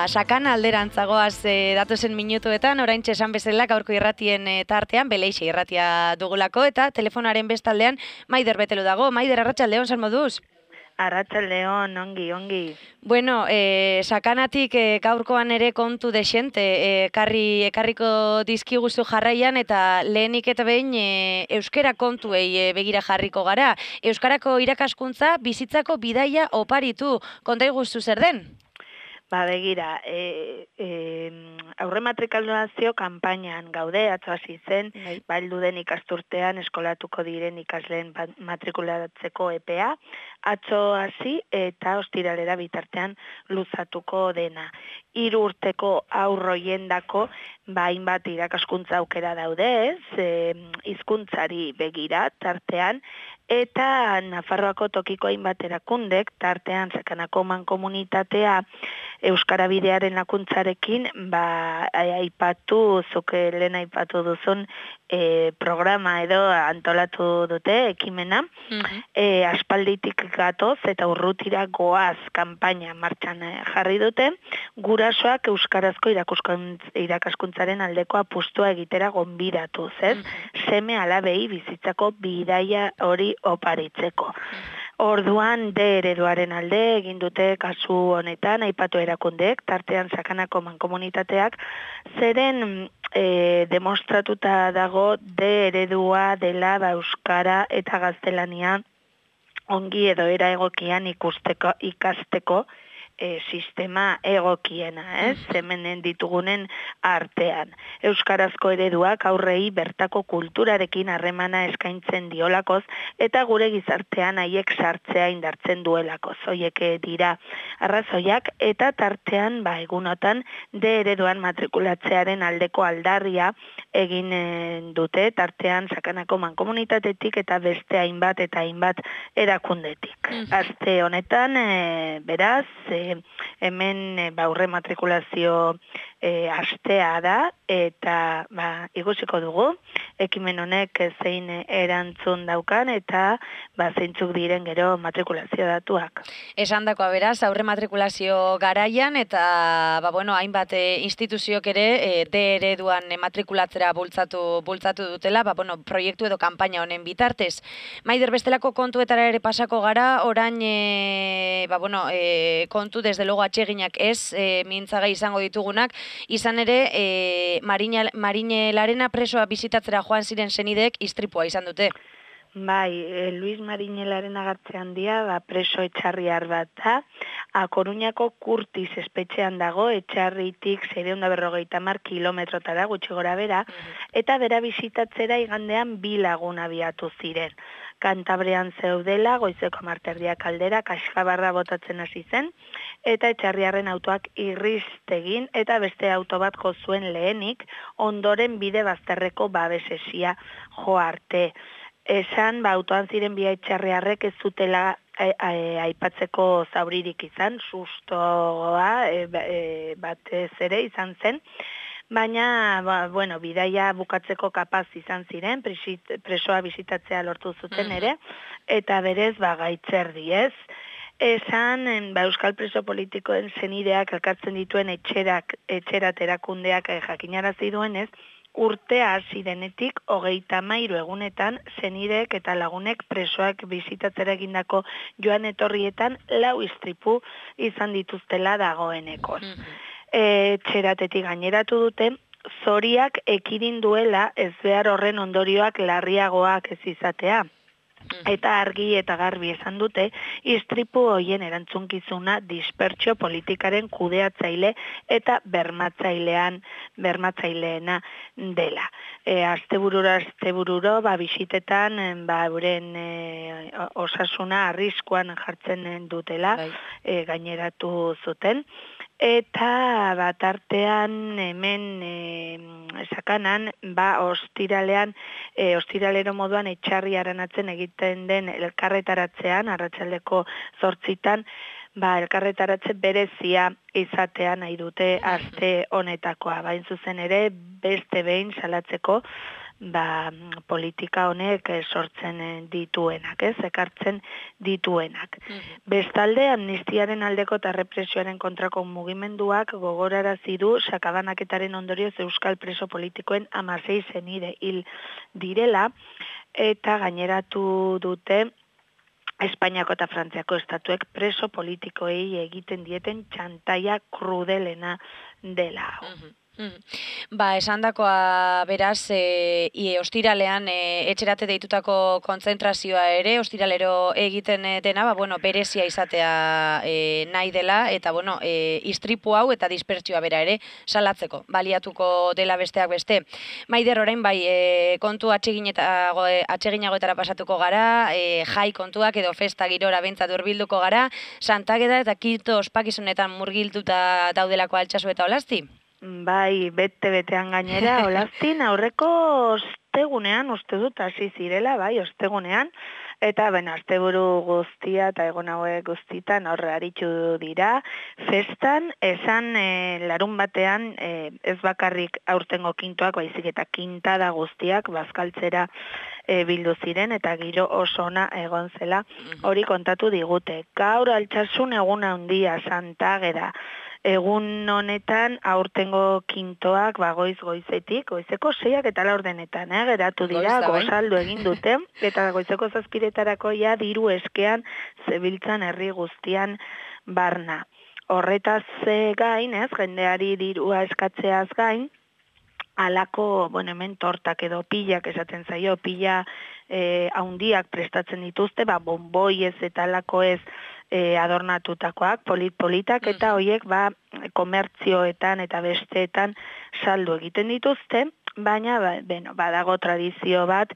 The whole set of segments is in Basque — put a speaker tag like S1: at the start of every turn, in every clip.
S1: sakan alderantzagoaz datozen minutuetan, oraintxe esan bezala gaurko irratien tartean, Beleixe irratia dugulako, eta telefonaren bestaldean Maider Betelu dago. Maider, arratsaldeon, zer moduz?
S2: Arratsaldeon, ongi.
S1: Bueno, sakanatik gaurkoan ere kontu desente, ekarriko dizkiguzu jarraian, eta lehenik eta behin euskara kontuei begira jarriko gara. Euskarako irakaskuntza bizitzako bidaia oparitu, konta iguzu zer den?
S2: Begira, aurrematrikulazio kanpainan gaude, atzo hasi zen, heldu den ikasturtean eskolatuko diren ikasleen matrikulatzeko epea, atzo hasi eta ostiralera bitartean luzatuko dena. 3 urteko aurroiendako hainbat irakaskuntza aukera daude, hizkuntzari begira tartean, eta Nafarroako tokiko hainbat erakundek, tartean Sakanako mankomunitatea Euskara Bidearen lakuntzarekin, aipatu, zuke lehen aipatu duzun programa edo antolatu dute ekimena, aspalditik gatoz eta urrutira goaz kanpaina martxan jarri dute, gurasoak euskarazko irakaskuntzaren aldeko apustua egitera gonbidatuz, seme alabei bizitzako bidaia hori oparitzeko. Orduan D ereduaren alde egin dute kasu honetan aipatu erakundeek, tartean Sakanako mankomunitateak, zeren demostratuta dago D eredua dela euskara eta gaztelania ongi edo era egokian ikasteko sistema egokiena, zemenen ditugunen artean. Euskarazko ereduak aurrei bertako kulturarekin harremana eskaintzen diolakoz eta gure gizartean haiek sartzea indartzen duelakoz. Hoiek dira arrazoiak eta tartean egunotan D ereduan matrikulatzearen aldeko aldarria egin dute, tartean Sakanako mankomunitatetik eta beste hainbat eta hainbat erakundetik. Aste honetan, beraz, hemen aurre matrikulazio astea da eta ikusiko dugu ekimen honek zein erantzun daukan eta zeintzuk diren gero matrikulazio datuak.
S1: Esandakoa beraz, aurre matrikulazio garaian eta hainbat instituziok ere D ereduan matrikulatzera bultzatu dutela, proiektu edo kanpaina honen bitartez. Maider, bestelako kontuetara ere pasako gara, orain kontu desde luego atseginak ez, mintzagai izango ditugunak, izan ere Marine Larena presoa bizitatzera joan ziren senideek istripua izan dute.
S2: Luis Marine Larena Gartze Handia preso etxarriar bat da, Koruñako Kurtiz espetxean dago, etxarritik 650 kilometrotara gutxi gora bera, eta bera bizitatzera igandean 2 lagun abiatu ziren. Kantabrean zeudela, goizeko 10 aldera, kaxkabarra botatzen hasi zen, eta etxarriarren autoak irristegin, eta beste auto bat jo zuen lehenik, ondoren bide bazterreko babesesia jo arte. Esan, autoan ziren bi etxarriarrek ez zutela aipatzeko zauririk izan, sustoa batez ere izan zen, baina, bidaia bukatzeko kapaz izan ziren, presoa bisitatzea lortu zuten ere, eta berez, gaitzerdi ez. Esan, euskal preso politikoen senideak elkartzen dituen etxerat erakundeak jakinarazi duenez, urtea hasi denetik 33 egunetan senideek eta lagunek presoak bisitatzera egindako joan etorrietan 4 istripu izan dituztela dagoeneko. Etxeratetik gaineratu dute, zoriak ekidin duela ez behar horren ondorioak larriagoak ez izatea. Eta argi eta garbi esan dute, istripu hoien erantzunkizuna dispertsio politikaren kudeatzaile eta bermatzaileena dela. Astebururo bisitetan euren osasuna arriskuan jartzen dutela gaineratu zuten. Eta tartean hemen Sakanan, ostiralero moduan etxarri aranatzen egiten den elkarretaratzean, arratsaldeko 8:00, elkarretaratze berezia izatea nahi dute aste honetakoa. Bain zuzen ere, beste behin salatzeko politika honek sortzen dituenak, ekartzen dituenak. Bestalde, amnistiaren aldeko eta represioaren kontrako mugimenduak gogorarazi du sakabanaketaren ondorioz euskal preso politikoen 16 senide hil direla, eta gaineratu dute Espainiako eta Frantziako estatuek preso politikoei egiten dieten txantaia krudelena dela.
S1: Esandakoa beraz, ostiralean etxerate deitutako kontzentrazioa ere, ostiralero egiten dena, berezia izatea nahi dela, eta istripu hau eta dispertsioa bera ere salatzeko, baliatuko dela besteak beste. Maider, orain kontu atseginagoetara pasatuko gara, jai kontuak edo festa girora bentsat hurbilduko gara, Santageda eta Kito ospakizunetan murgilduta daudelako Altsasu eta Olasti?
S2: Bai, bete-betean gainera, Olastin aurreko ostegunean, uste dut, hasi zirela, bai, ostegunean, eta, asteburu guztia eta egon hauek guztitan horre aritxu dira. Festan, esan larun batean, ez bakarrik aurtengo kintoak, baizik eta kintada guztiak, bazkaltzera bildu ziren, eta giro oso ona egon zela, hori kontatu digute. Gaur Altsasun egun handia, Santageda, egun honetan aurtengo kintoak goizeko 6 eta 4 geratu dira, gozaldu egin dute, eta goizeko 7 ja diru eskean zebiltzan herri guztian barna. Horretaz gain, jendeari dirua eskatzeaz gain, alako, hemen tortak edo pillak esaten zaio, pilla haundiak prestatzen dituzte, bonboiez eta alako ez adornatutakoak, politak, eta hoiek komertzioetan eta besteetan saldu egiten dituzte, baina badago tradizio bat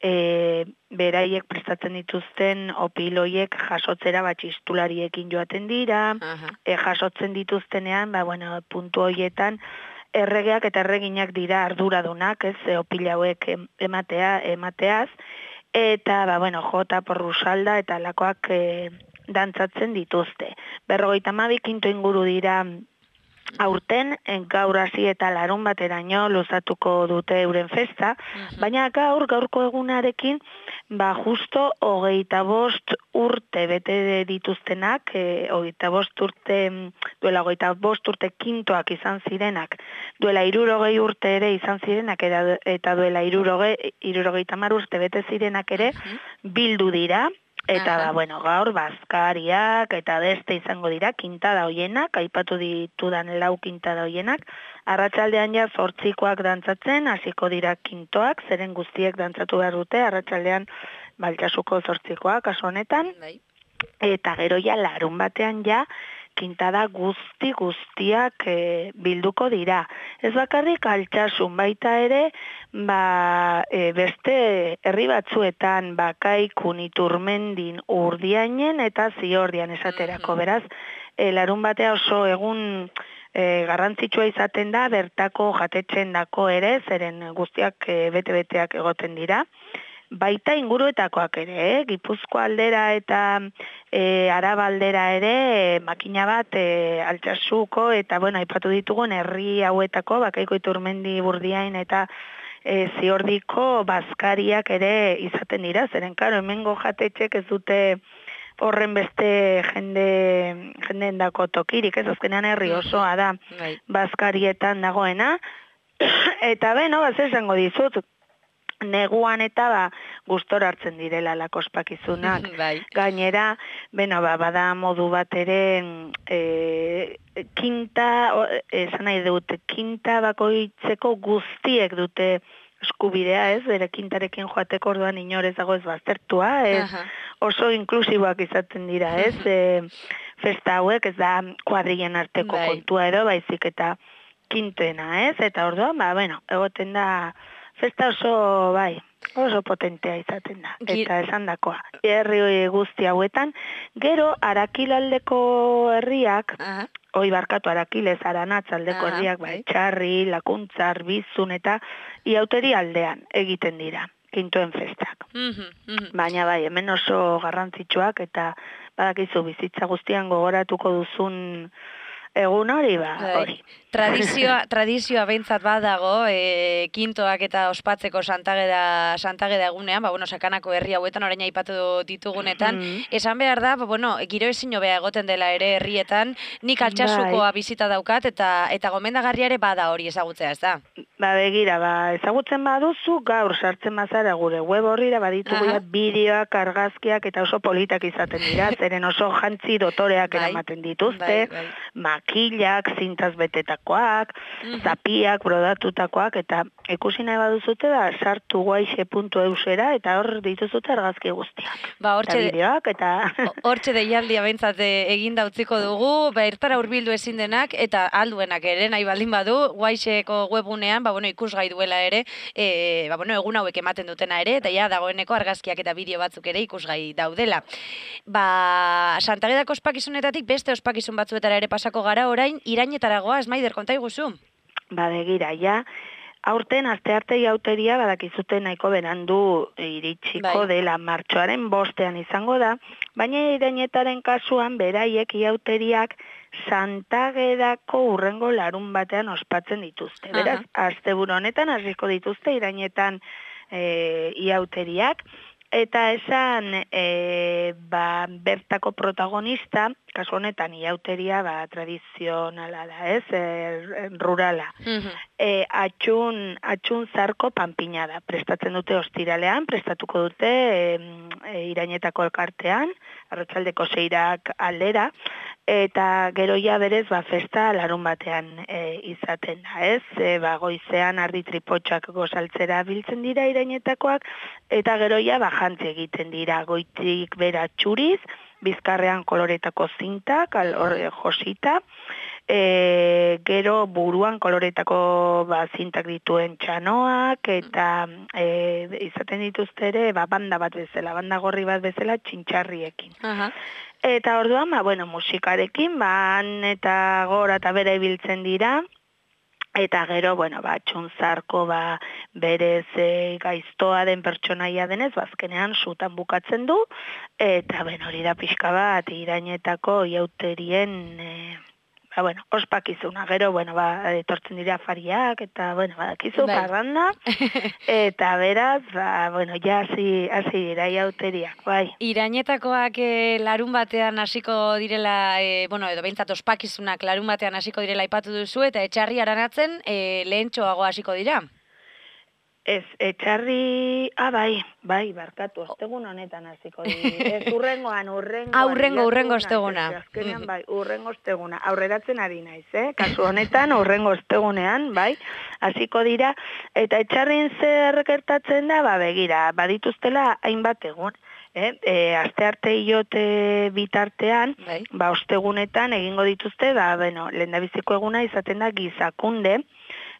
S2: beraiek prestatzen dituzten opiloiek jasotzera txistulariekin joaten dira, jasotzen dituztenean, puntu hoietan erregeak eta erreginak dira arduradunak, opila hauek emateaz, eta jota porrusalda eta lakoak dantzatzen dituzte. 52 kinto inguru dira aurten, gaur hasi eta larun bateraino luzatuko dute euren festa, baina gaurko egunarekin, justo 25 urte bete dituztenak, 25 urte, duela 25 urte kintoak izan zirenak, duela 60 urte ere izan zirenak, eta duela 70 urte bete zirenak ere, bildu dira, eta gaur bazkariak eta beste izango dira kintada hoienak, aipatu ditudan 4 kintada hoienak, arratsaldean 8koak dantzatzen, hasiko dira kintoak, zeren guztiek dantzatu behar dute, arratsaldean Altsasuko 8koak kasu honetan, eta gero larun batean kintada guztiak bilduko dira. Ez bakarrik Altsasun, baita ere, beste herri batzuetan, Bakaikun, Iturmendin, Urdiainen eta Ziordian esaterako. Beraz, larun batea oso egun garrantzitsua izaten da, bertako jatetxen dako ere, zeren guztiak bete-beteak egoten dira. Baita inguruetakoak ere, Gipuzkoa aldera eta Araba aldera ere, makina bat Altsasuko eta, aipatu ditugun herri hauetako, Bakaiko, Iturmendi, Urdiain eta Ziordiko bazkariak ere izaten dira, zeren karo, hemengo jatetxek ez dute horren beste jendeen dako tokirik, ez azkenean herri osoa da bazkarietan dagoena, eta esango dizut, neguan eta gustora hartzen direla lako ospakizunak. Gainera, bada modu bat ere esan nahi dut, kinta bakoitzeko guztiek dute eskubidea, bere kintarekin joateko orduan inorez dago ez baztertua, oso inklusiboak izaten dira, festa hauek, ez da kuadrien arteko kontua edo, baizik eta kintoena, eta orduan, egoten da festa oso potentea izaten da, eta esandakoa. Herri guzti hauetan, gero Arakilaldeko herriak, Arakilez, Aranatz aldeko herriak, Etxarri, Lakuntzar, Bizun eta Iauteri aldean egiten dira, kintoen festak. Baina hemen oso garrantzitsuak, eta badakizu bizitza guztian gogoratuko duzun egun hori, hori.
S1: Tradizioa behintzat badago, kintoak eta ospatzeko Santageda egunean, sakanako herri hauetan orain aipatu ditugunetan, esan behar da, giro ezin hobea egoten dela ere herrietan, nik Altsasukoa bizita daukat, eta gomendagarria ere bada hori ezagutzea, ez da?
S2: Begira, ezagutzen baduzu, gaur sartzen bazara gure web horrira, baditugu bideoak, argazkiak, eta oso politak izaten dira, zeren oso jantzi dotoreak eramaten dituzte, makilak, zintaz betetakoak, zapiak, brodatutakoak, eta ikusi nahi baduzute da, sartu guaixe.eusera, eta hor dituzute argazki guztiak. Eta bideoak, eta...
S1: Hortxe deialdia behintzat eginda utziko dugu, ertara hurbildu ezin denak, eta alduenak ere, nahi baldin badu, guaixeko webunean, ikusgai duela ere, egun hauek ematen dutena ere, eta ja, dagoeneko argazkiak eta bideo batzuk ere ikusgai daudela. Santagedako ospakizunetatik beste ospakizun batzuetara ere pasako gara, orain, Irainetaragoa, Maider, konta iguzu?
S2: Begira, ja, aurten astearte jauteria badakizute nahiko berandu iritsiko dela martxoaren 5ean izango da, baina Irainetaren kasuan beraiek jauteriak Santagedako urrengo larun batean ospatzen dituzte. Beraz, asteburu honetan hasiko dituzte Irainetan iauteriak, eta esan bertako protagonista, kasu honetan iauteria tradizionala da, rurala. Atxun zarko panpina da, prestatzen dute ostiralean, prestatuko dute Irainetako elkartean, arratsaldeko 6 aldera, eta geroia berez festa larun batean izaten da, goizean ardi tripotxak gozaltzera biltzen dira Irainetakoak, eta geroia jantzi egiten dira, goitik bera txuriz, bizkarrean koloretako zintak, josita, gero buruan koloretako zintak dituen txanoak, eta izaten dituzte ere banda bat bezala, banda gorri bat bezala txintxarriekin. Eta orduan, musikarekin, eta gora eta bera ibiltzen dira, eta gero, txuntzarko berez gaiztoa den pertsonaia denez, azkenean sutan bukatzen du, eta hori da pixka bat Irainetako iauterien ospakizuna, gero, etortzen dira afariak, eta, badakizu, parranda, eta beraz, ja hasi dira iauteriak, bai.
S1: Irainetakoak larun batean hasiko direla, edo behintzat ospakizunak larun batean hasiko direla aipatu duzu, eta etxarri aranatzen lehentxoago hasiko dira?
S2: Ez, etxarri, bai, barkatu, ostegun honetan hasiko dira. Ez urrengoan.
S1: Urrengo osteguna.
S2: Azkenean, bai, urrengo osteguna. Aurreratzen ari naiz, kasu honetan, urrengo ostegunean, bai, hasiko dira. Eta etxarrin zer gertatzen da, begira, badituztela hainbat egun. Astearte iote bitartean, ostegunetan egingo dituzte, lehendabiziko eguna izaten da gizakunde,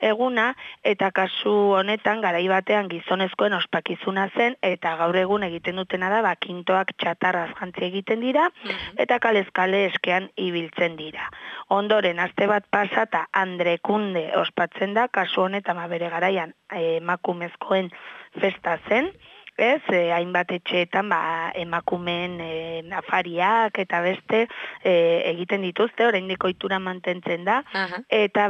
S2: eguna, eta kasu honetan garai batean gizonezkoen ospakizuna zen, eta gaur egun egiten dutena da, kintoak txatarraz jantzi egiten dira, eta kalezkale eskean ibiltzen dira. Ondoren, aste bat pasata Andrekunde ospatzen da, kasu honetan bere garaian emakumezkoen festa zen, hainbat etxeetan emakumeen afariak eta beste egiten dituzte, oraindik ohitura mantentzen da, eta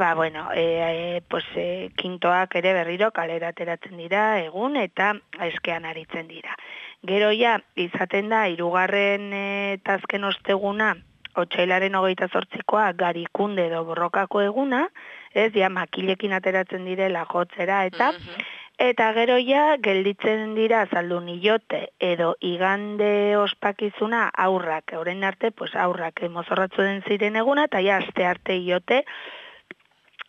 S2: kintoak ere berriro kalera ateratzen dira egun eta eskean aritzen dira. Gero ja, izaten da, 3. eta azken osteguna, otsailaren 28koa Garikunde edo Borrokako eguna, makilekin ateratzen direla jotzera, eta gero ja, gelditzen dira zaldun ilote edo igande ospakizuna aurrak, orain arte, aurrak mozorratzu den ziren eguna, eta ja, aste arte ilote,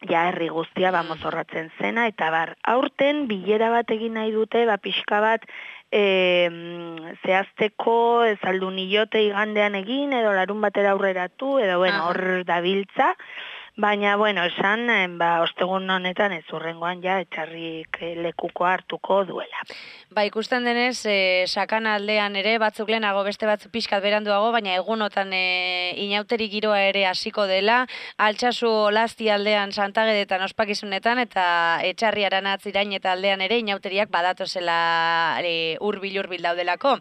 S2: ja, herri guztia mozorratzen zena, eta aurten bilera bat egin nahi dute, pixka bat, zehazteko zaldun ilote igandean egin, edo larun batera aurreratu, edo hor dabiltza, Baina, bueno, esan, ostegun honetan ez urrengoan ja etxarrik lekuko hartuko duela.
S1: Ba, ikusten denez, sakana aldean ere, batzuk lehenago, beste batzuk pixkat beranduago, baina egunotan inauteri giroa ere hasiko dela, Altsasu Olasti aldean Santagedetan ospakizunetan, eta Etxarri Aranatz Irain eta aldean ere inauteriak badatozela hurbil daudelako.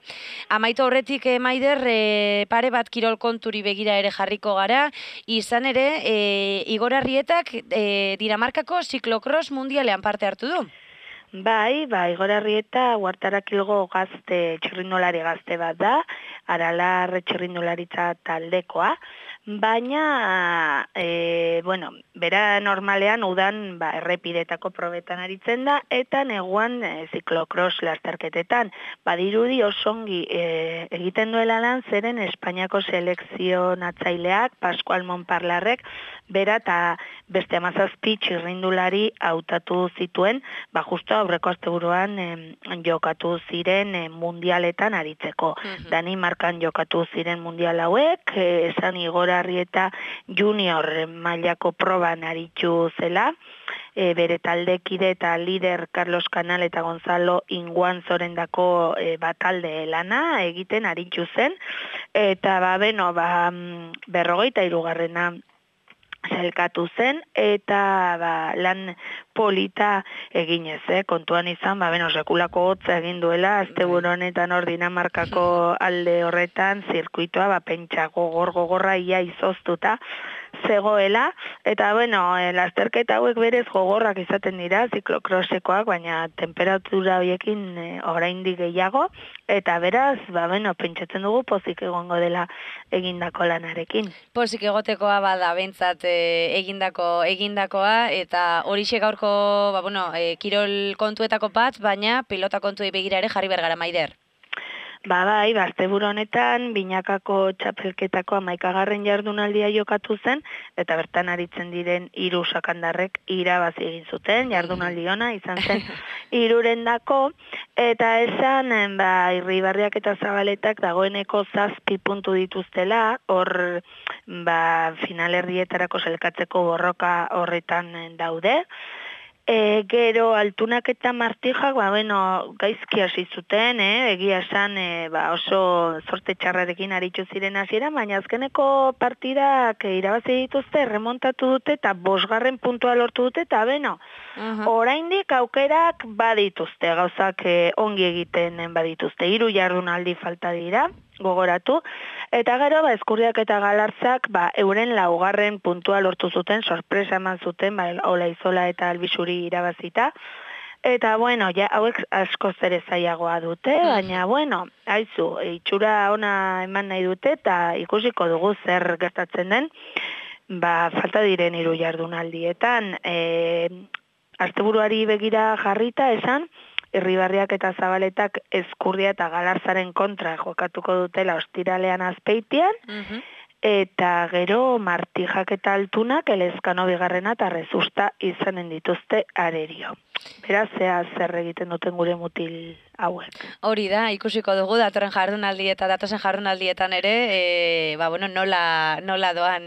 S1: Amaitu horretik, Maider, pare bat kirol konturi begira ere jarriko gara, izan ere, Igor Arrietak Dinamarkako Ziklokros Mundialean parte hartu du.
S2: Bai, Igor Arrieta Huartarakilgo gazte, txirrindulari gazte bat da, Aralar txirrindularitza taldekoa, baina, bera normalean udan errepidetako probetan aritzen da, eta neguan ziklokros lasterketetan. Badirudi osongi egiten duela lan zeren Espainiako selekzionatzaileak, Pascual Monparlarrek, bera eta beste 17 txirrindulari hautatu zituen, justo aurreko asteburuan jokatu ziren mundialetan aritzeko. Danimarkan jokatu ziren mundial hauek, esan Igor Arrieta junior mailako proban aritzu zela, bere taldekide eta lider Carlos Canal eta Gonzalo Inguan zorendako batalde lana egiten aritzu zen, eta 43. Zelkatu zen, eta lan polita eginez, kontuan izan, sekulako hotza egin duela, asteburu honetan hor Dinamarkako alde horretan, zirkuitoa, pentsa gogorra ia izoztuta zegoela, eta lasterketa hauek berez gogorrak izaten dira, ziklokrosekoak, baina temperatura horiekin oraindik gehiago, eta beraz, pentsatzen dugu pozik egongo dela egindako lanarekin.
S1: Pozik egotekoa bada bentsat egindakoa, eta horixe gaurko, kirol kontuetako bat, baina pilota kontuei begira ere jarri bergara, Maider.
S2: Asteburu honetan, binakako txapelketako 11. jardunaldia jokatu zen, eta bertan aritzen diren 3 sakandarrek irabazi egin zuten, jardunaldi ona izan zen 3-rendako, eta esan, Irribarriak eta Zabaletak dagoeneko 7 puntu dituztela, hor, finalerrietarako zelkatzeko borroka horretan daude. Gero Altunak eta Martijak, gaizki hasi zuten, egia esan oso zorte txarrarekin aritzu ziren hasiera, baina azkeneko partidak irabazi dituzte, remontatu dute eta 5. puntua lortu dute, eta oraindik aukerak badituzte, gauzak ongi egiten badituzte, 3 jardunaldi falta dira, gogoratu, eta gero, Eskurriak eta Galartzak, euren 4. puntua lortu zuten, sorpresa eman zuten, Olaizola eta Albizuri irabazita, eta, hauek asko ere zailagoa dute, baina, haizu, itxura ona eman nahi dute, eta ikusiko dugu zer gertatzen den, falta diren 3 jardunaldietan, asteburuari begira jarrita esan, Irribarriak eta Zabaletak Eskurria eta Galarzaren kontra jokatuko dutela ostiralean Azpeitian, eta gero Martijak eta Altunak Elezkano 2. eta Rezusta izanen dituzte Arerio. Beraz, zer egiten duten gure mutil hauek.
S1: Hori da, ikusiko dugu datorren jardunaldi eta datozen jardunaldietan ere, nola doan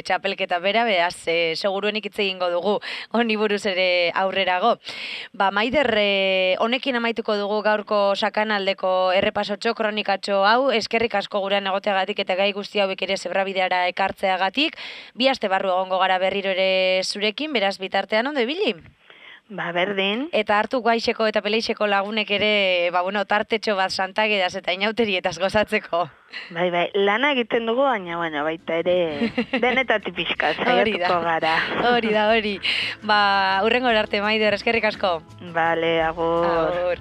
S1: txapelketa bera, beraz, seguruenik hitz egingo dugu honi buruz ere aurrerago. Maider, honekin amaituko dugu gaurko sakanaldeko errepasotxo, kronikatxo hau, eskerrik asko gurean egoteagatik eta gai guzti hauek ere zebrabideara ekartzeagatik, 2 aste barru egongo gara berriro ere zurekin, beraz, bitartean ondo ibili?
S2: Berdin.
S1: Eta hartu guaixeko eta peleixeko lagunek ere, tartetxo bat Santagedaz eta inauterietaz gozatzeko.
S2: Lana egiten dugu, baina, baita ere denetatik pixka, zaiatuko gara.
S1: Hori. Hurrengo arte, Maider, eskerrik asko.
S2: Bale, agur.